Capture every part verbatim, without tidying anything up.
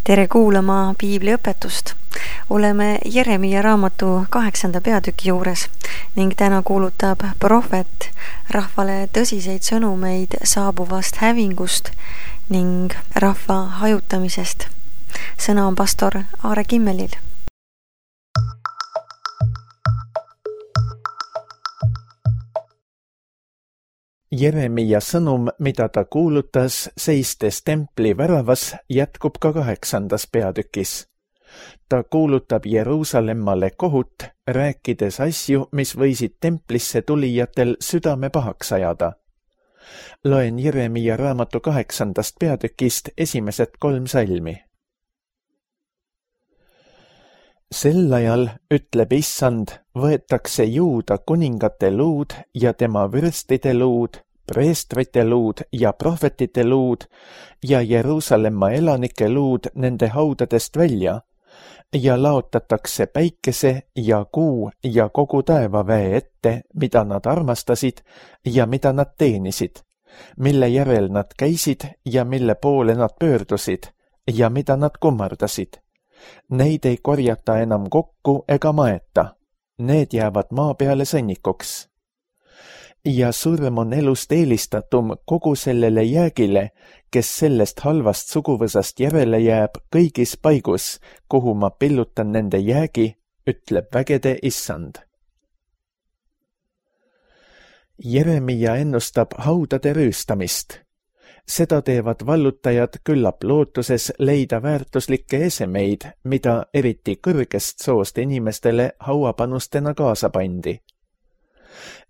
Tere kuulama piibliõpetust. Oleme Jeremia raamatu kaheksanda peatüki juures ning täna kuulutab prohvet rahvale tõsiseid sõnumeid saabuvast hävingust ning rahva hajutamisest. Sõna on pastor Aare Kimmelil. Jeremia sõnum, mida ta kuulutas seistes templi väravas, jätkub ka kaheksandas peatükis. Ta kuulutab Jeruusallemmale kohut, rääkides asju, mis võisid templisse tulijatel südame pahaks ajada. Loen Jeremia raamatu kaheksandast peatükist esimesed kolm salmi. Sel ajal, ütleb Issand, võetakse Juuda kuningate luud ja tema vürstide luud, preestrite luud ja prohvetite luud ja Jeruusalemma elanike luud nende haudadest välja ja laotatakse päikese ja kuu ja kogu taevaväe ette, mida nad armastasid ja mida nad teenisid, mille järel nad käisid ja mille poole nad pöördusid ja mida nad kummardasid. Neid ei korjata enam kokku ega maeta. Need jäävad maa peale sõnnikuks. Ja surm on elust eelistatum kogu sellele jäägile, kes sellest halvast suguvõsast järele jääb kõigis paigus, kuhu ma pillutan nende jäägi, ütleb vägede Issand. Jeremia ennustab haudade rüüstamist. Seda teevad vallutajad küllap lootuses leida väärtuslikke esemeid, mida eriti kõrgest soost inimestele hauapanustena kaasa pandi.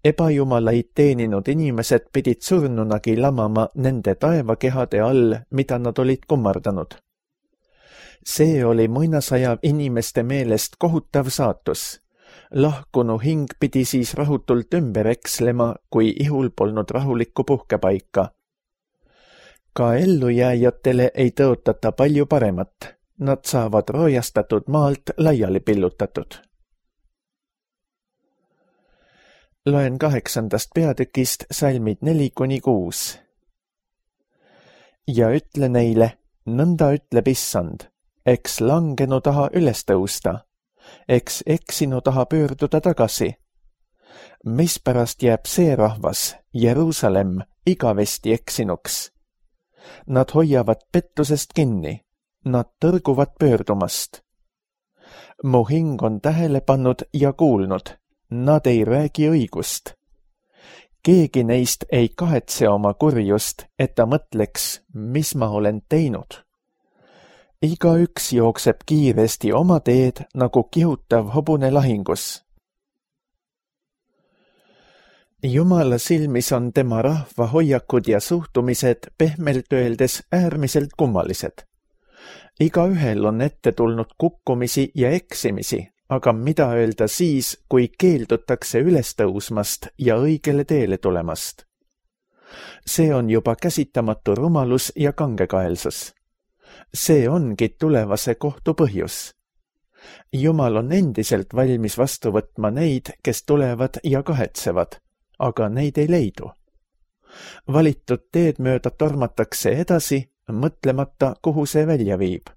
Ebajumalaid teeninud inimesed pidid surnunagi lamama nende taevakehade all, mida nad olid kummardanud. See oli muinasaja inimeste meelest kohutav saatus. Lahkunu hing pidi siis rahutult ümber ekslema, kui ihul polnud rahulikku puhkepaika. Ka ellujääjatele ei tõotata palju paremat. Nad saavad roojastatud maalt laiali pillutatud. Loen kaheksandast peatükist salmid neli kuni kuus. Ja ütle neile, nõnda ütleb Issand, eks langenu taha üles tõusta, eks eksinu taha pöörduda tagasi. Mispärast jääb see rahvas, Jeruusalemm, igavesti eksinuks? Nad hoiavad pettusest kinni, nad tõrguvad pöördumast. Mu hing on tähele pannud ja kuulnud, nad ei räägi õigust. Keegi neist ei kahetse oma kurjust, et ta mõtleks, mis ma olen teinud. Igaüks jookseb kiiresti oma teed nagu kihutav hobune lahingus. Jumala silmis on tema rahva hoiakud ja suhtumised pehmelt öeldes äärmiselt kummalised. Igaühel on ette tulnud kukkumisi ja eksimisi, aga mida öelda siis, kui keeldutakse üles tõusmast ja õigele teele tulemast? See on juba käsitamatu rumalus ja kangekaelsus. See ongi tulevase kohtu põhjus. Jumal on endiselt valmis vastu võtma neid, kes tulevad ja kahetsevad, aga neid ei leidu. Valitud teed mööda tormatakse edasi, mõtlemata, kuhu see välja viib.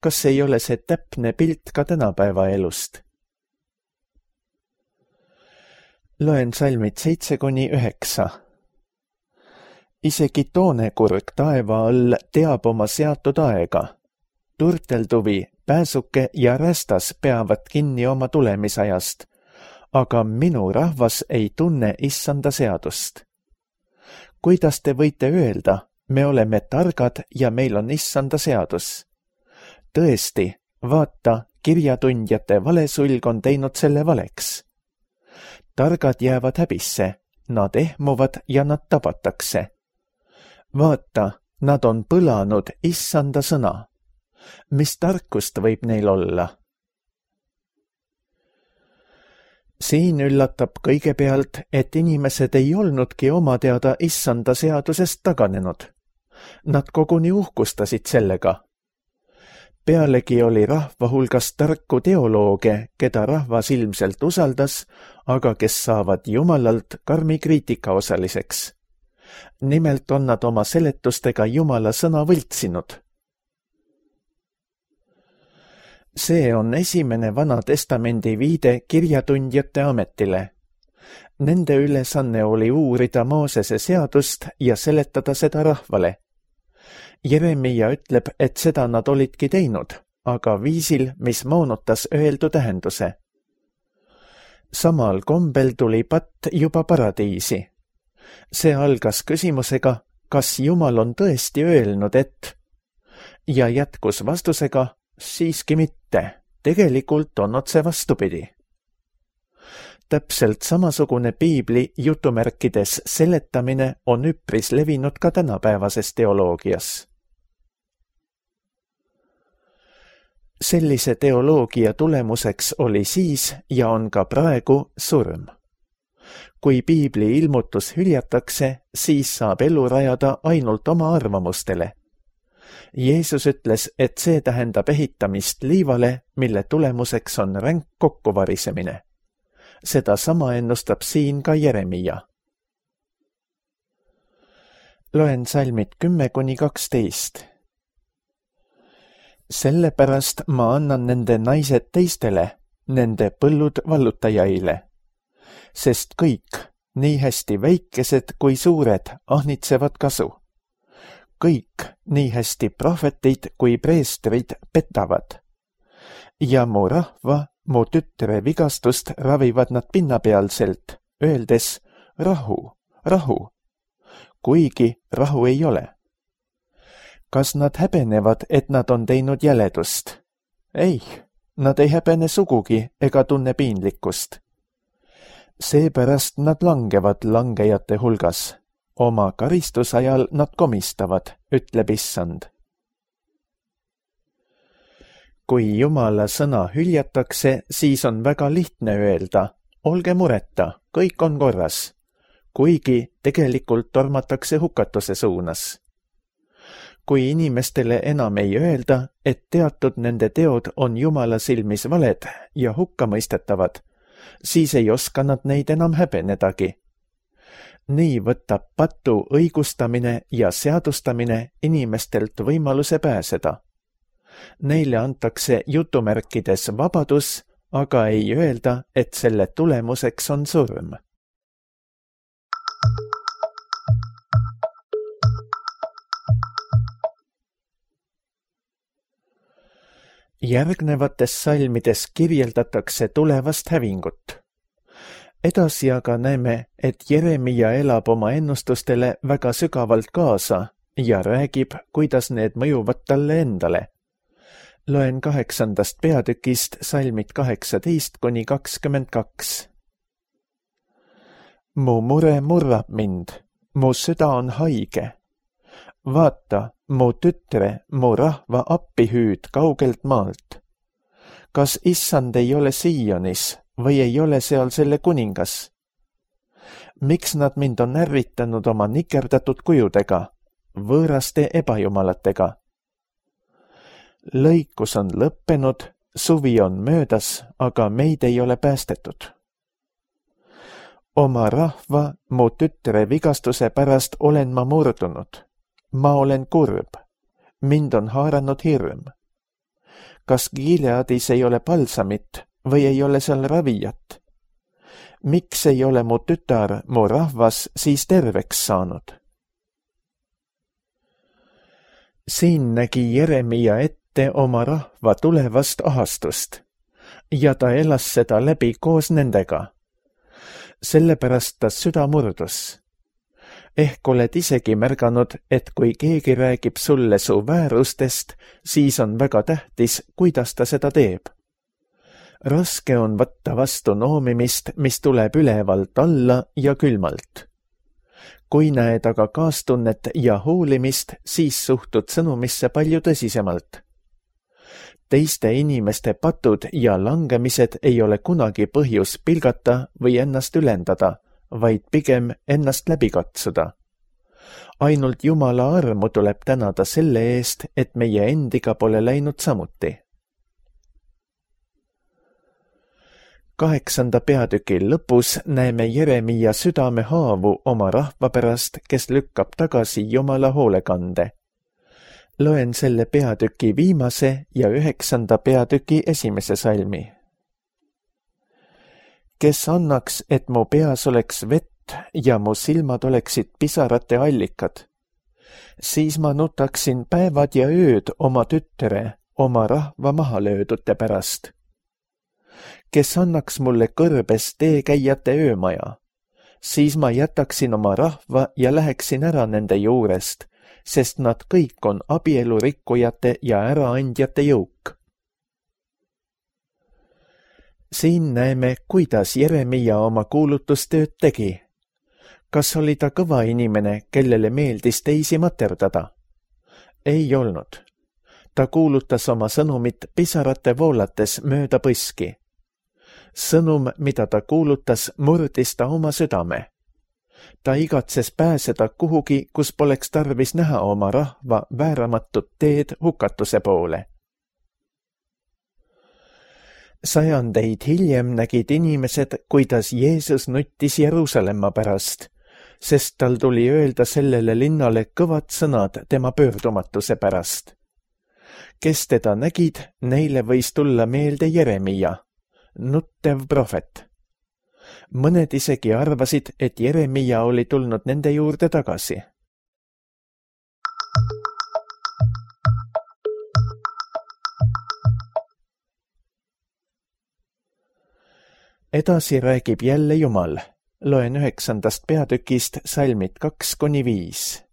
Kas ei ole see täpne pilt ka tänapäeva elust? Loen salmid seitse kuni üheksa. Isegi toonekurg taeva all teab oma seatud aega. Turtelduvi, pääsuke ja rästas peavad kinni oma tulemisajast, aga minu rahvas ei tunne Issanda seadust. Kuidas te võite öelda, me oleme targad ja meil on Issanda seadus? Tõesti, vaata, kirjatundjate valesulg on teinud selle valeks. Targad jäävad häbisse, nad ehmuvad ja nad tabatakse. Vaata, nad on põlanud Issanda sõna. Mis tarkust võib neil olla? Siin üllatab kõigepealt, et inimesed ei olnudki oma teada Issanda seadusest taganenud. Nad koguni uhkustasid sellega. Pealegi oli rahva hulgas tarku teolooge, keda rahvas ilmselt usaldas, aga kes saavad Jumalalt karmi kriitika osaliseks. Nimelt on nad oma seletustega Jumala sõna võltsinud. See on esimene Vana Testamendi viide kirjatundjate ametile. Nende ülesanne oli uurida Moosese seadust ja seletada seda rahvale. Jeremia ütleb, et seda nad olidki teinud, aga viisil, mis moonutas öeldu tähenduse. Samal kombel tuli patt juba paradiisi. See algas küsimusega, kas Jumal on tõesti öelnud, et... ja jätkus vastusega, siiski mitte, tegelikult on otse vastupidi. Täpselt samasugune piibli jutumärkides seletamine on üpris levinud ka tänapäevases teoloogias. Sellise teoloogia tulemuseks oli siis ja on ka praegu surm. Kui piibli ilmutus hüljatakse, siis saab elu rajada ainult oma arvamustele. Jeesus ütles, et see tähendab ehitamist liivale, mille tulemuseks on ränk kokkuvarisemine. Seda sama ennustab siin ka Jeremia. Loen salmid kümme kuni kaksteist. Sellepärast ma annan nende naised teistele, nende põllud vallutajaile. Sest kõik, nii hästi väikesed kui suured, ahnitsevad kasu. Kõik, nii hästi prohvetid kui preestrid petavad. Ja mu rahva, mu tütre vigastust ravivad nad pinnapealselt, öeldes rahu, rahu, kuigi rahu ei ole. Kas nad häbenevad, et nad on teinud jäledust? Ei, nad ei häbene sugugi ega tunne piinlikkust. Seepärast nad langevad langejate hulgas. Oma karistusajal nad komistavad, ütleb Issand. Kui Jumala sõna hüljatakse, siis on väga lihtne öelda, olge mureta, kõik on korras, kuigi tegelikult tormatakse hukatuse suunas. Kui inimestele enam ei öelda, et teatud nende teod on Jumala silmis valed ja hukkamõistetavad, siis ei oska nad neid enam häbenedagi. Nii võtab patu õigustamine ja seadustamine inimestelt võimaluse pääseda. Neile antakse jutumärkides vabadus, aga ei öelda, et selle tulemuseks on surm. Järgnevates salmides kirjeldatakse tulevast hävingut. Edasi aga näeme, et Jeremia elab oma ennustustele väga sügavalt kaasa ja räägib, kuidas need mõjuvad talle endale. Loen kaheksandast peatükist salmid kaheksateist kuni kakskümmend kaks. Mu mure murrab mind, mu süda on haige. Vaata, mu tütre, mu rahva appihüüd kaugelt maalt. Kas Issand ei ole Sionis või ei ole seal selle kuningas? Miks nad mind on ärritanud oma nikerdatud kujudega, võõraste ebajumalatega? Lõikus on lõppenud, suvi on möödas, aga meid ei ole päästetud. Oma rahva, mu tütre vigastuse pärast olen ma murdunud. Ma olen kurb. Mind on haaranud hirm. Kas Gileadis ei ole palsamit või ei ole seal ravijat? Miks ei ole mu tütar, mu rahvas siis terveks saanud? Siin nägi Jeremia ette oma rahva tulevast ahastust ja ta elas seda läbi koos nendega. Sellepärast ta süda murdus. Ehk oled isegi märganud, et kui keegi räägib sulle su väärustest, siis on väga tähtis, kuidas ta seda teeb. Raske on võtta vastu noomimist, mis tuleb ülevalt alla ja külmalt. Kui näed aga kaastunnet ja hoolimist, siis suhtud sõnumisse palju tõsisemalt. Teiste inimeste patud ja langemised ei ole kunagi põhjus pilgata või ennast ülendada, vaid pigem ennast läbi katsuda. Ainult Jumala armu tuleb tänada selle eest, et meie endiga pole läinud samuti. Kaheksanda peatüki lõpus näeme Jeremia südame haavu oma rahva pärast, kes lükkab tagasi Jumala hoolekande. Loen selle peatüki viimase ja üheksanda peatüki esimese salmi. Kes annaks, et mu peas oleks vett ja mu silmad oleksid pisarate allikad, siis ma nutaksin päevad ja ööd oma tütre, oma rahva mahalöödute pärast. Kes annaks mulle kõrbes teekäijate öömaja, siis ma jätaksin oma rahva ja läheksin ära nende juurest, sest nad kõik on abielurikkujate ja äraandjate jõuk. Siin näeme, kuidas Jeremia oma kuulutustööd tegi. Kas oli ta kõva inimene, kellele meeldis teisi materdada? Ei olnud. Ta kuulutas oma sõnumit pisarate voolates mööda põski. Sõnum, mida ta kuulutas, murdis ta oma südame. Ta igatses pääseda kuhugi, kus poleks tarvis näha oma rahva vääramatut teed hukatuse poole. Sajandeid hiljem nägid inimesed, kuidas Jeesus nuttis Jeruusalemma pärast, sest tal tuli öelda sellele linnale kõvad sõnad tema pöördumatuse pärast. Kes teda nägid, neile võis tulla meelde Jeremia, nuttev prohvet. Mõned isegi arvasid, et Jeremia oli tulnud nende juurde tagasi. Edasi räägib jälle Jumal. Loen üheksandast peatükist salmid kaks kuni viis.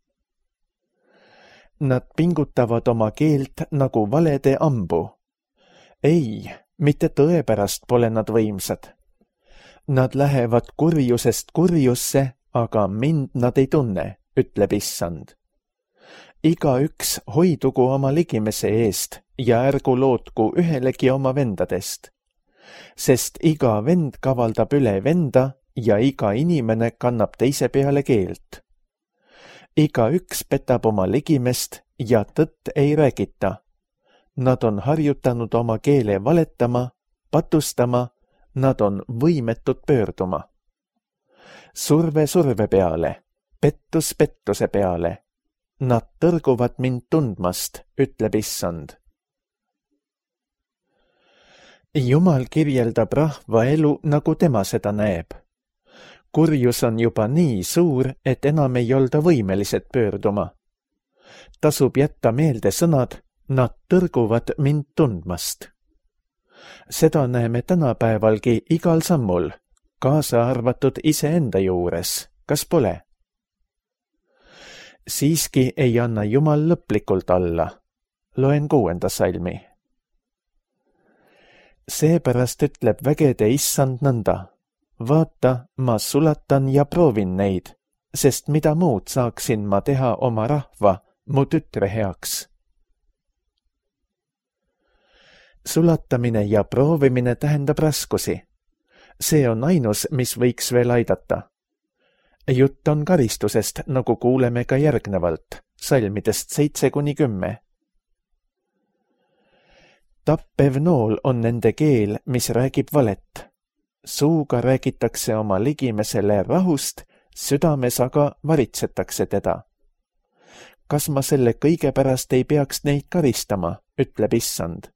Nad pingutavad oma keelt nagu valede ambu. Ei, mitte tõe pärast pole nad võimsad. Nad lähevad kurjusest kurjusse, aga mind nad ei tunne, ütleb Issand. Igaüks hoidugu oma ligimese eest ja ärgu lootku ühelegi oma vendadest. Sest iga vend kavaldab üle venda ja iga inimene kannab teise peale keelt. Igaüks petab oma ligimest ja tõtt ei räägita. Nad on harjutanud oma keele valetama, patustama, nad on võimetud pöörduma. Surve surve peale, pettus pettuse peale. Nad tõrguvad mind tundmast, ütleb Issand. Jumal kirjeldab rahva elu, nagu tema seda näeb. Kurjus on juba nii suur, et enam ei olda võimelised pöörduma. Tasub jätta meelde sõnad, nad tõrguvad mind tundmast. Seda näeme tänapäevalgi igal sammul, kaasa arvatud iseenda juures, kas pole? Siiski ei anna Jumal lõplikult alla. Loen kuuenda salmi. Seepärast ütleb vägede Issand nõnda. Vaata, ma sulatan ja proovin neid, sest mida muud saaksin ma teha oma rahva, mu tütre heaks. Sulatamine ja proovimine tähendab raskusi. See on ainus, mis võiks veel aidata. Jutt on karistusest, nagu kuuleme ka järgnevalt, salmidest seitse kuni kümme. Tappev nool on nende keel, mis räägib valet. Suuga räägitakse oma ligimesele rahust, südames aga varitsetakse teda. Kas ma selle kõige pärast ei peaks neid karistama, ütleb Issand,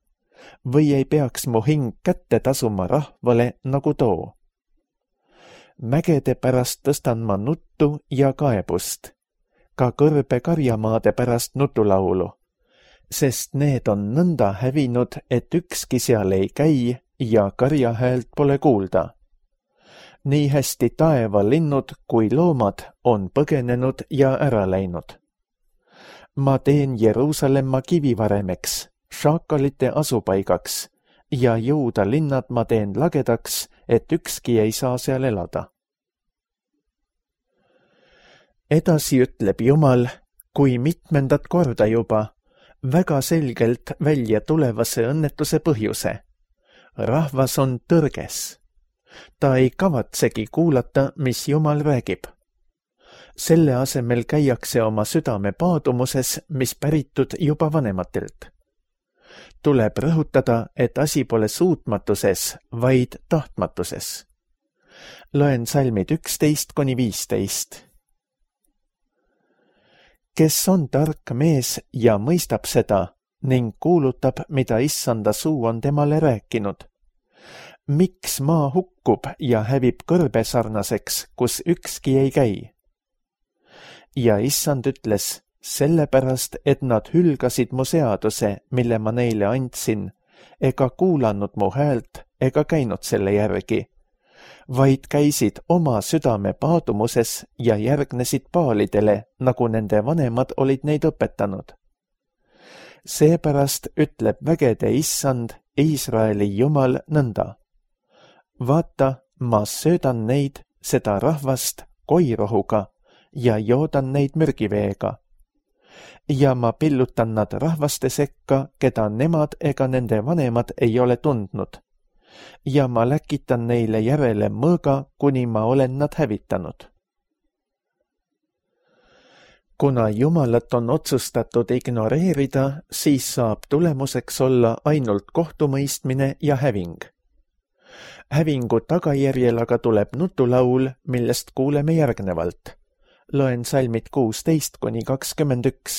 või ei peaks mu hing kätte tasuma rahvale nagu too? Mägede pärast tõstan ma nuttu ja kaebust, ka kõrbe karjamaade pärast nutulaulu, sest need on nõnda hävinud, et ükski seal ei käi ja karjahäält pole kuulda. Nii hästi taevalinnud kui loomad on põgenenud ja ära läinud. Ma teen Jeruusalemma kivivaremeks, šaakalite asupaigaks ja Juuda linnad ma teen lagedaks, et ükski ei saa seal elada. Edasi ütleb Jumal, kui mitmendat korda juba, väga selgelt välja tulevase õnnetuse põhjuse. Rahvas on tõrges. Ta ei kavatsegi kuulata, mis Jumal räägib. Selle asemel käiakse oma südame paadumuses, mis päritud juba vanematelt. Tuleb rõhutada, et asi pole suutmatuses, vaid tahtmatuses. Loen salmid üksteist kuni viisteist. kes on tark mees ja mõistab seda ning kuulutab, mida issanda suu on temale rääkinud. Miks maa hukkub ja hävib kõrbe sarnaseks, kus ükski ei käi? Ja issand ütles, sellepärast, et nad hülgasid mu seaduse, mille ma neile andsin, ega kuulanud mu häält ega käinud selle järgi, vaid käisid oma südame paadumuses ja järgnesid paalidele, nagu nende vanemad olid neid õpetanud. Seepärast ütleb vägede issand, Iisraeli Jumal nõnda. Vaata, ma söödan neid, seda rahvast, koirohuga ja joodan neid mürgiveega. Ja ma pillutan nad rahvaste sekka, keda nemad ega nende vanemad ei ole tundnud. Ja ma läkitan neile järele mõõga, kuni ma olen nad hävitanud. Kuna Jumalat on otsustatud ignoreerida, siis saab tulemuseks olla ainult kohtumõistmine ja häving. Hävingu tagajärjel aga tuleb nutulaul, millest kuuleme järgnevalt. Loen salmid kuusteist kuni kakskümmend üks.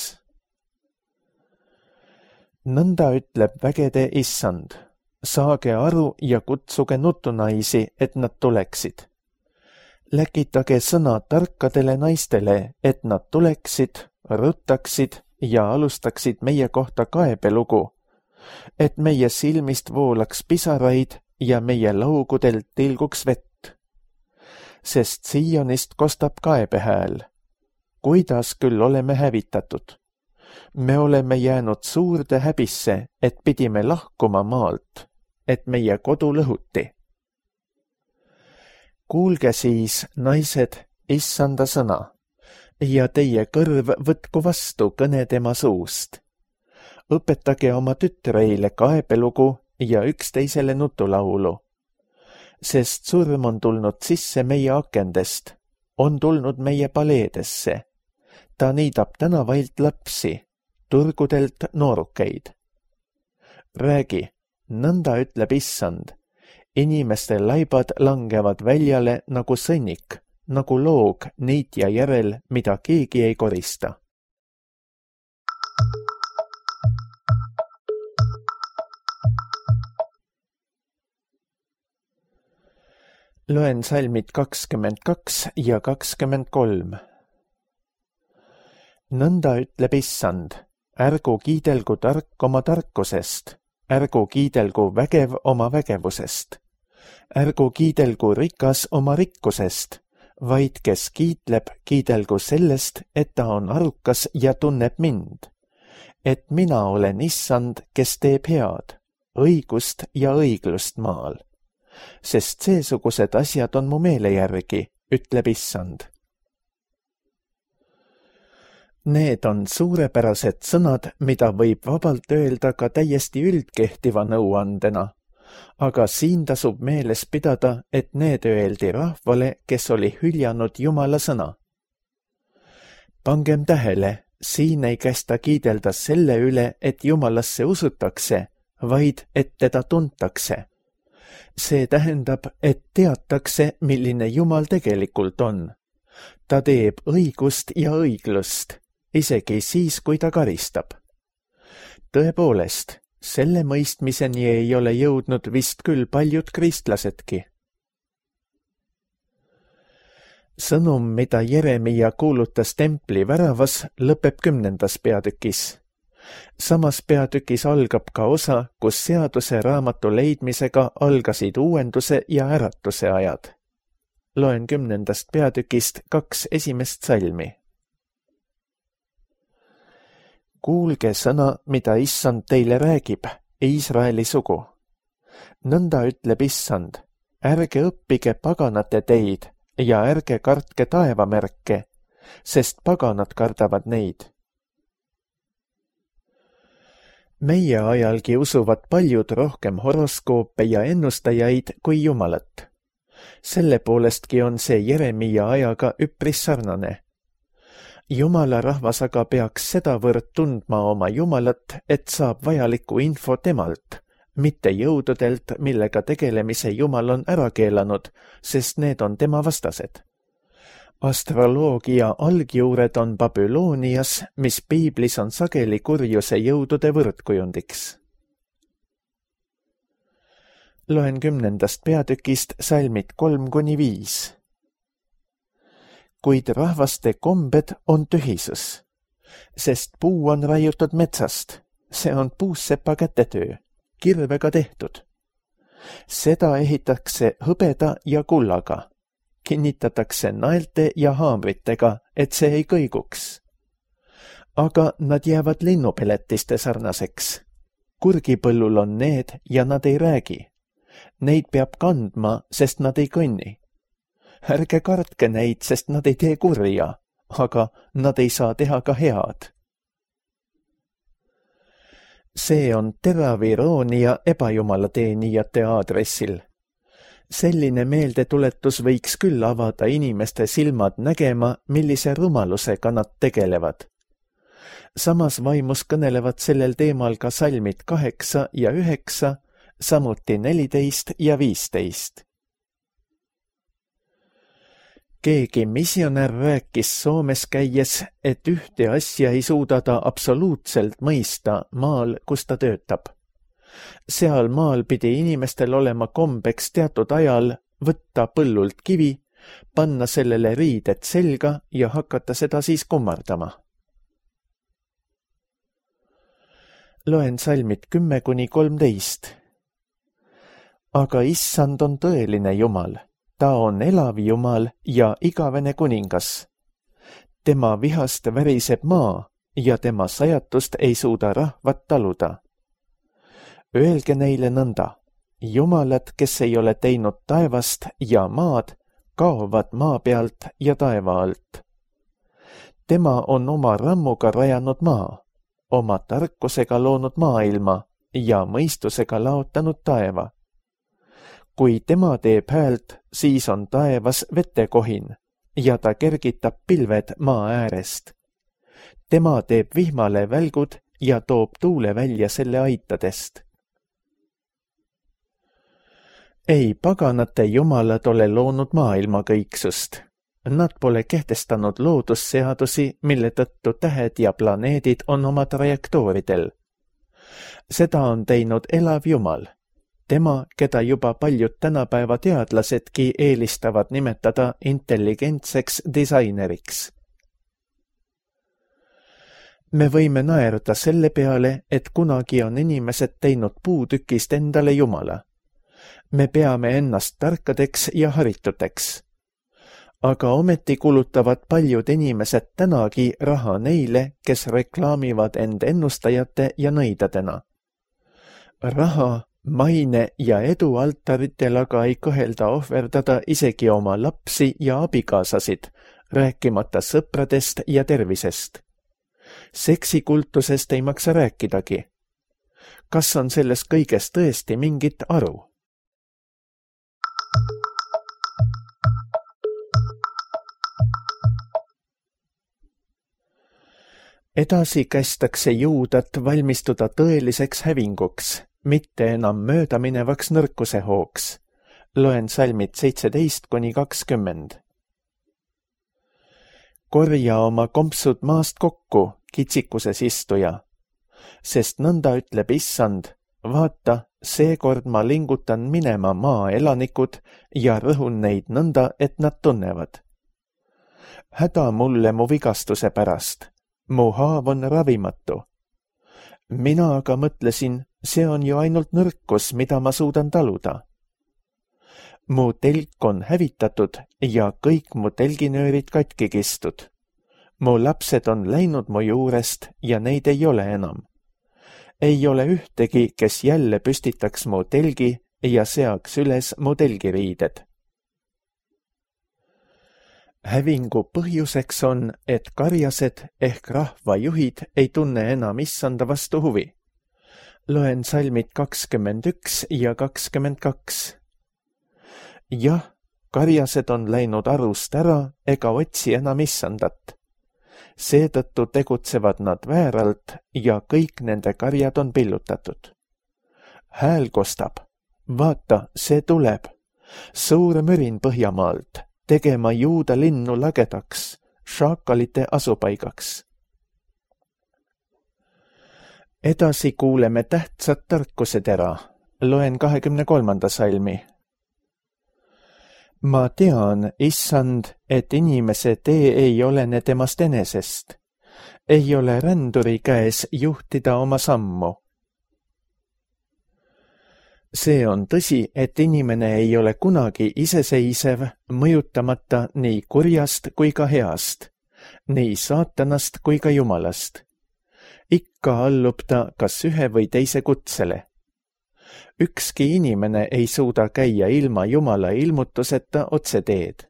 Nõnda ütleb vägede issand. Saage aru ja kutsuge nutunaisi, et nad tuleksid. Läkitage sõna tarkadele naistele, et nad tuleksid, ruttaksid ja alustaksid meie kohta kaebelugu, et meie silmist voolaks pisaraid ja meie laugudelt tilguks vett. Sest Siionist kostab kaebehääl. Kuidas küll oleme hävitatud? Me oleme jäänud suurde häbisse, et pidime lahkuma maalt, et meie kodu lõhuti. Kuulge siis, naised, issanda sõna, ja teie kõrv võtku vastu kõne tema suust. Õpetage oma tütreile kaebelugu ja üksteisele nutulaulu. Sest surm on tulnud sisse meie akendest, on tulnud meie paleedesse. Ta niidab tänavailt lapsi, turgudelt noorukeid. Räägi, nõnda ütleb issand. Inimeste laibad langevad väljale nagu sõnnik, nagu loog niitja järel, mida keegi ei korista. Loen salmid kakskümmend kaks ja kakskümmend kolm. Nõnda ütleb issand, ärgu kiidelgu tark oma tarkusest, ärgu kiidelgu vägev oma vägevusest, ärgu kiidelgu rikas oma rikkusest, vaid kes kiitleb, kiidelgu sellest, et ta on arukas ja tunneb mind, et mina olen issand, kes teeb head, õigust ja õiglust maal, sest seesugused asjad on mu meele järgi, ütleb issand. Need on suurepärased sõnad, mida võib vabalt öelda ka täiesti üldkehtiva nõuandena, aga siin tasub meeles pidada, et need öeldi rahvale, kes oli hüljanud Jumala sõna. Pangem tähele, siin ei kästa kiidelda selle üle, et Jumalasse usutakse, vaid et teda tuntakse. See tähendab, et teatakse, milline Jumal tegelikult on. Ta teeb õigust ja õiglust, isegi siis, kui ta karistab. Tõepoolest, selle mõistmiseni ei ole jõudnud vist küll paljud kristlasedki. Sõnum, mida Jeremia kuulutas templi väravas, lõpeb kümnendas peatükis. Samas peatükis algab ka osa, kus seaduse raamatu leidmisega algasid uuenduse ja äratuse ajad. Loen kümnendast peatükist kaks esimest salmi. Kuulge sõna, mida issand teile räägib, Iisraeli sugu. Nõnda ütleb issand, ärge õppige paganate teid ja ärge kartke taevamärke, sest paganad kardavad neid. Meie ajalgi usuvad paljud rohkem horoskoope ja ennustajaid kui Jumalat. Selle poolestki on see Jeremia ajaga üpris sarnane. Jumala rahvas aga peaks sedavõrd tundma oma Jumalat, et saab vajalikku info temalt, mitte jõududelt, millega tegelemise Jumal on ära keelanud, sest need on tema vastased. Astroloogia algjuured on Babylonias, mis piiblis on sageli kurjuse jõudude võrdkujundiks. Loen kümnendast peatükist salmid kolm kuni viis. Kuid rahvaste kombed on tühisus, sest puu on raiutud metsast, see on puussepa kätetöö, kirvega tehtud. Seda ehitakse hõbeda ja kullaga, kinnitatakse naelte ja haamritega, et see ei kõiguks. Aga nad jäävad linnupeletiste sarnaseks. Kurgipõllul on need ja nad ei räägi. Neid peab kandma, sest nad ei kõnni. Ärge kartke neid, sest nad ei tee kurja, aga nad ei saa teha ka head. See on terav iroonia ebajumalateenijate aadressil. Selline meeldetuletus võiks küll avada inimeste silmad nägema, millise rumalusega nad tegelevad. Samas vaimus kõnelevad sellel teemal ka salmid kaheksa ja üheksa, samuti neliteist ja viisteist. Keegi missionär rääkis Soomes käies, et ühte asja ei suuda ta absoluutselt mõista maal, kus ta töötab. Seal maal pidi inimestel olema kombeks teatud ajal võtta põllult kivi, panna sellele riided selga ja hakata seda siis kummardama. Loen salmid kümme kuni kolmteist. Aga issand on tõeline Jumal, ta on elav Jumal ja igavene kuningas. Tema vihast väriseb maa ja tema sajatust ei suuda rahvat taluda. Öelge neile nõnda, Jumalad, kes ei ole teinud taevast ja maad, kaovad maa pealt ja taeva alt. Tema on oma rammuga rajanud maa, oma tarkusega loonud maailma ja mõistusega laotanud taeva. Kui tema teeb häält, siis on taevas vetekohin ja ta kergitab pilved maa äärest. Tema teeb vihmale välgud ja toob tuule välja selle aitadest. Ei paganate jumalad ole loonud maailma kõiksust. Nad pole kehtestanud loodusseadusi, mille tõttu tähed ja planeedid on oma trajektooridel. Seda on teinud elav Jumal. Tema, keda juba paljud tänapäeva teadlasedki eelistavad nimetada intelligentseks disaineriks. Me võime naerda selle peale, et kunagi on inimesed teinud puutükist endale Jumala. Me peame ennast tarkadeks ja harituteks. Aga ometi kulutavad paljud inimesed tänagi raha neile, kes reklaamivad end ennustajate ja nõidadena. Raha, maine ja edu altaritel aga ei kõhelda ohverdada isegi oma lapsi ja abikaasasid, rääkimata sõpradest ja tervisest. Seksikultusest ei maksa rääkidagi. Kas on selles kõiges tõesti mingit aru? Edasi kästakse juudat valmistuda tõeliseks hävinguks, mitte enam möödaminevaks nõrkuse hooks. Loen salmid seitseteist kuni kakskümmend. Korja oma kompsud maast kokku, kitsikuses istuja, sest nõnda ütleb issand, vaata, seekord ma lingutan minema maa elanikud ja rõhun neid nõnda, et nad tunnevad. Häda mulle mu vigastuse pärast. Mu haav on ravimatu. Mina aga mõtlesin, see on ju ainult nõrkus, mida ma suudan taluda. Mu telk on hävitatud ja kõik mu telginöörid katki kistud. Mu lapsed on läinud mu juurest ja neid ei ole enam. Ei ole ühtegi, kes jälle püstitaks mu telgi ja seaks üles mu telgiriided. Hävingu põhjuseks on, et karjased ehk rahvajuhid ei tunne enam issanda vastu huvi. Loen salmid kakskümmend üks ja kakskümmend kaks. Jah, karjased on läinud arust ära ega otsi enam issandat. Seetõttu tegutsevad nad vääralt ja kõik nende karjad on pillutatud. Hääl kostab. Vaata, see tuleb. Suur mürin Põhjamaalt. tegema Juuda linnu lagedaks, šaakalite asupaigaks. Edasi kuuleme tähtsad tarkused ära. Loen kahekümne kolmanda salmi. Ma tean, issand, et inimese tee ei olene temast enesest. Ei ole ränduri käes juhtida oma sammu. See on tõsi, et inimene ei ole kunagi iseseisev, mõjutamata nii kurjast kui ka heast, nii saatanast kui ka Jumalast. Ikka allub ta kas ühe või teise kutsele. Ükski inimene ei suuda käia ilma Jumala ilmutuseta otseteed.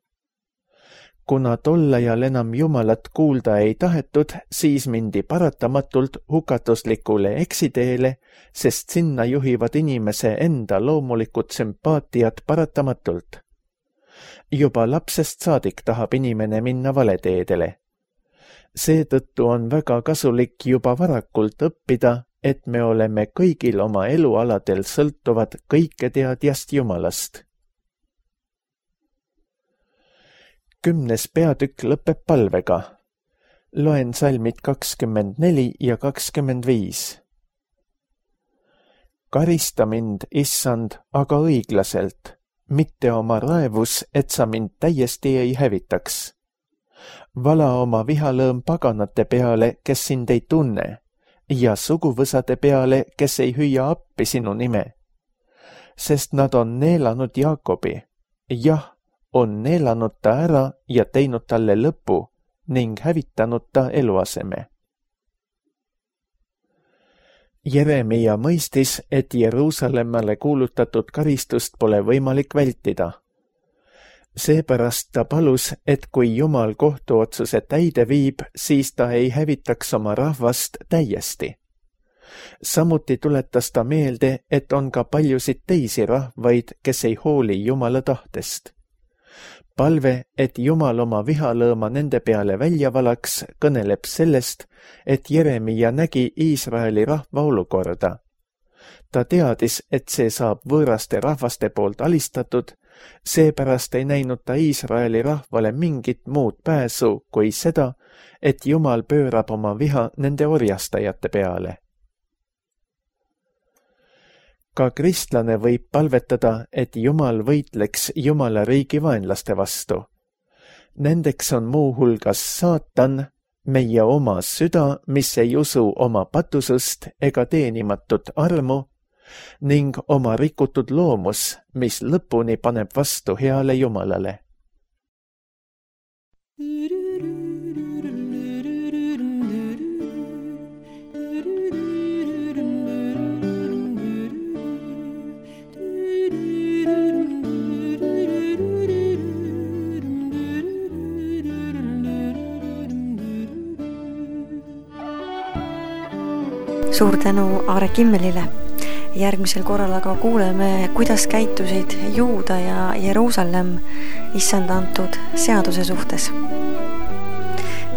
Kuna tol ajal enam Jumalat kuulda ei tahetud, siis mindi paratamatult hukatuslikule eksiteele, sest sinna juhivad inimese enda loomulikud sümpaatiad paratamatult. Juba lapsest saadik tahab inimene minna valeteedele. Seetõttu on väga kasulik juba varakult õppida, et me oleme kõigil oma elualadel sõltuvad kõiketeadjast Jumalast. Kümnes peatükk lõpeb palvega. Loen salmid kakskümmend neli ja kakskümmend viis. Karista mind, issand, aga õiglaselt, mitte oma raevus, et sa mind täiesti ei hävitaks. Vala oma vihalõõm paganate peale, kes sind ei tunne, ja suguvõsade peale, kes ei hüüa appi sinu nime. Sest nad on neelanud Jaakobi, jah, on neelanud ta ära ja teinud talle lõpu ning hävitanud ta eluaseme. Jeremia mõistis, et Jeruusalemmale kuulutatud karistust pole võimalik vältida. Seepärast ta palus, et kui Jumal kohtuotsuse täide viib, siis ta ei hävitaks oma rahvast täiesti. Samuti tuletas ta meelde, et on ka paljusid teisi rahvaid, kes ei hooli Jumala tahtest. Palve, et Jumal oma vihalõõma nende peale välja valaks, kõneleb sellest, et Jeremia nägi Iisraeli rahva olukorda. Ta teadis, et see saab võõraste rahvaste poolt alistatud, seepärast ei näinud ta Iisraeli rahvale mingit muud pääsu kui seda, et Jumal pöörab oma viha nende orjastajate peale. Ka kristlane võib palvetada, et Jumal võitleks Jumala riigi vaenlaste vastu. Nendeks on muu hulgas saatan, meie oma süda, mis ei usu oma patusust ega teenimatut armu, ning oma rikutud loomus, mis lõpuni paneb vastu heale Jumalale. Suur tänu Aare Kimmelile. Järgmisel korral aga kuuleme, kuidas käitusid Juuda ja Jeruusalemm issanda antud seaduse suhtes.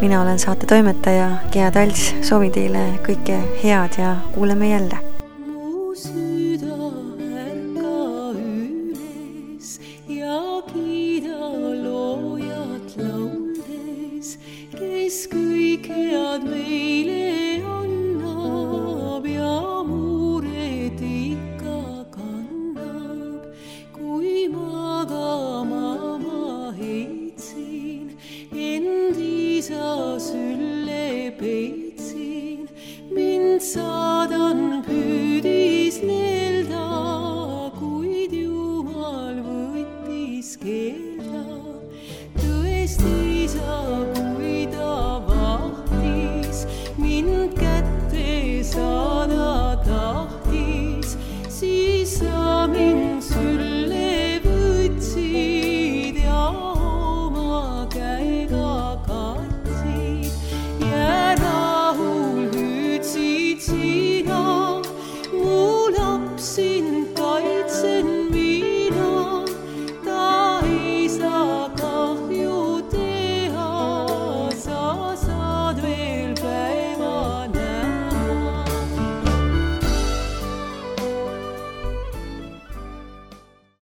Mina olen saate toimetaja Gea Talts, soovin teile kõike head ja kuuleme jälle.